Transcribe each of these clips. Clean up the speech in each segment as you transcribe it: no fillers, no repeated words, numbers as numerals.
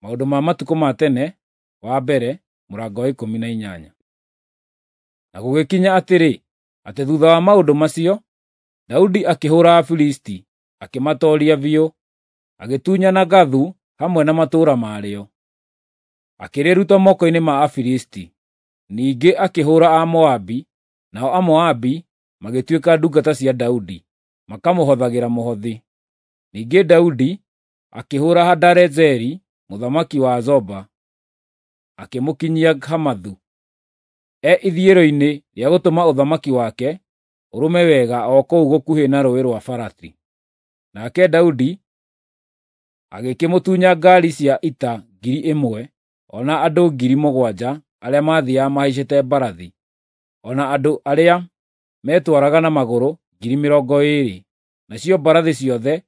Maũndũ ma Matukũ ma Tene wa mbere, mũrango wa 18. Na gũgĩkinya atĩrĩ, atĩ thutha wa maũndũ macio, Daudi akĩhũra Afilisti, akĩmatooria biũ, agĩtunyana Gathu hamwe na matũũra marĩo, akĩrĩruta moko-inĩ ma Afilisti. Ningĩ akĩhũra Amoabi, nao Amoabi magĩtuĩka ndungata cia Daudi, makamũhothagĩra mũhothi. Ningĩ Daudi akĩhũra Hadarezeri mũthamaki wa Zoba, akĩmũkinyia Hamathu, e ithiĩro-inĩ rĩa gũtũma ũthamaki wake ũrũme wega o kũu gũkuhĩ na Rũũĩ rwa Farati. Nake Daudi agĩkĩmũtunya ngaari cia ita 1,000, o na andũ 7,000 arĩa maathiiaga mahaicĩte mbarathi, o na andũ arĩa meetwaraga na magũrũ 20,000. Nacio mbarathi ciothe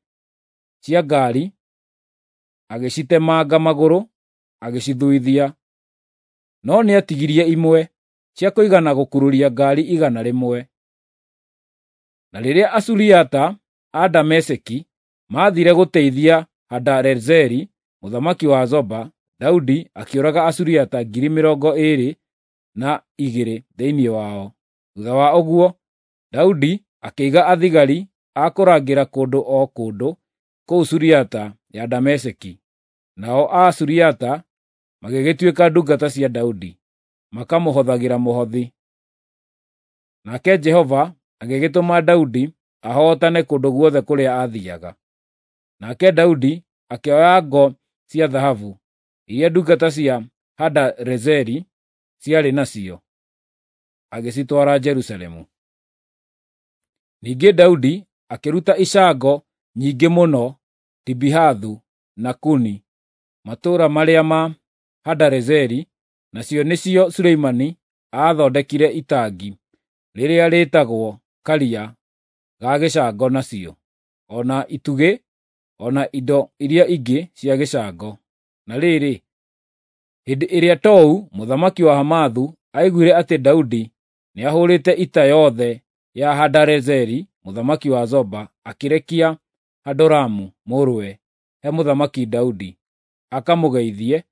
cia ngaari agĩcitemanga magũrũ agĩcithuithia. No nĩatigirie imwe, cia kũigana gũkururia ngaari 100. Na rĩrĩa Asuriata a Dameski maathiire gũteithia Hadarezeri mũthamaki wa Zoba, Daudi akĩũraga Asuriata 22,000 thĩinĩ wao. Thuutha wa ũguo, Daudi akĩiga athigari a kũrangĩra kũndũ o kũndũ kũu Suriata ya Dameski, nao Asuriata magĩgĩtuĩka ndungata cia Daudi, makamũhothagĩra mũhothi. Nake Jehova agĩgĩtũma Daudi ahootane kũndũ guothe kũrĩa aathiiaga. Nake Daudi akĩoya ngo cia thahabu iria ndungata cia Hadarezeri ciarĩ nacio, agĩcitwara Jerusalemu. Ningĩ Daudi akĩruta icango nyingĩ mũno Tibihathu na Kuni, matũũra marĩa ma Hadarezeri, nacio nĩcio Suleimani aathondekire itangi rĩrĩa rĩĩtagwo Karia ga gĩcango nacio, o na itugĩ, o na indo iria ingĩ cia gĩcango. Na rĩrĩ, hĩndĩ ĩrĩa Tou mũthamaki wa Hamathu aiguire atĩ Daudi nĩahũrĩte ita yothe ya Hadarezeri mũthamaki wa Zoba, akĩrekia Hadoramu mũrũwe he Mũthamaki Daudi akamũgeithie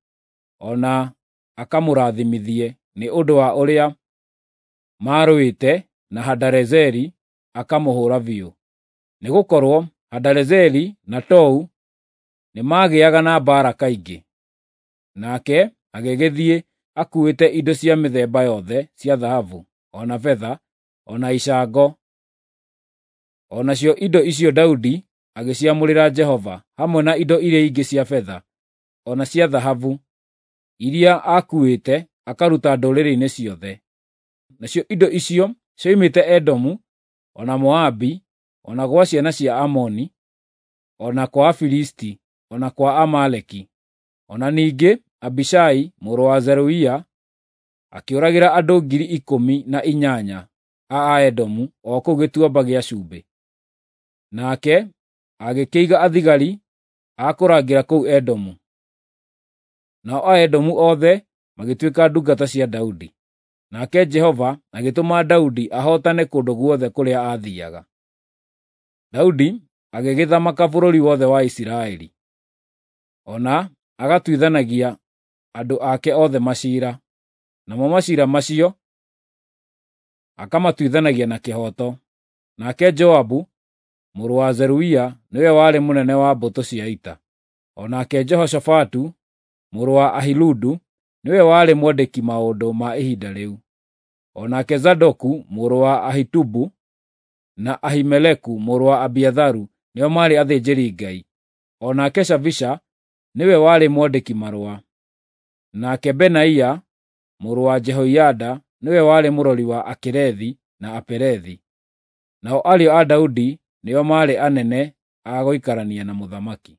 o na akamũrathimithie nĩ ũndũ wa ũrĩa maarũĩte na Hadarezeri akamũhũũra biũ. Nĩgũkorwo Hadarezeri na Tou nĩmagĩaga na mbaara kaingĩ. Nake agĩgĩthiĩ akuuĩte indo cia mĩthemba yothe cia thahabu, o na betha, o na icango. O nacio indo icio Daudi agĩciamũrĩra Jehova, hamwe na indo iria ingĩ cia betha, o na cia thahabu, iria aakuuĩte akaruta ndũrĩrĩ-inĩ ciothe. Nacio indo icio cioimĩte Edomu, o na Moabi, o na gwa ciana cia Amoni, o na kwa Afilisti, o na kwa Amaleki. O na ningĩ Abishai mũrũ wa Zeruia akĩũragĩra andũ 18,000 a Aedomu o kũu Gĩtuamba gĩa Cumbĩ. Nake agĩkĩiga athigari a kũrangĩra kũu Edomu. Nao Aedomu othe magĩtuĩka ndungata cia Daudi. Nake Jehova agĩtũma Daudi ahootane kũndũ guothe kũrĩa aathiiaga. Daudi agĩgĩthamaka bũrũri wothe wa Isiraeli, o na agatuithanagia andũ ake othe maciira, namo maciira macio akamatuithanagia na kĩhooto. Nake Joabu mũrũ wa Zeruia nĩwe warĩ mũnene wa mbũtũ cia ita, o nake Jehoshafatu mũrũ wa Ahiludu nĩwe warĩ mwandĩki maũndũ ma ihinda rĩu. O nake Zadoku mũrũ wa Ahitubu na Ahimeleku mũrũ wa Abiatharu nĩo maarĩ athĩnjĩri-Ngai. O nake Shavisha nĩwe warĩ mwandĩki marũa. Nake Benaia mũrũ wa Jehoiada nĩwe warĩ mũrori wa Akerethi na Apelethi. Nao ariũ a Daudi nĩo maarĩ anene a gũikarania na mũthamaki.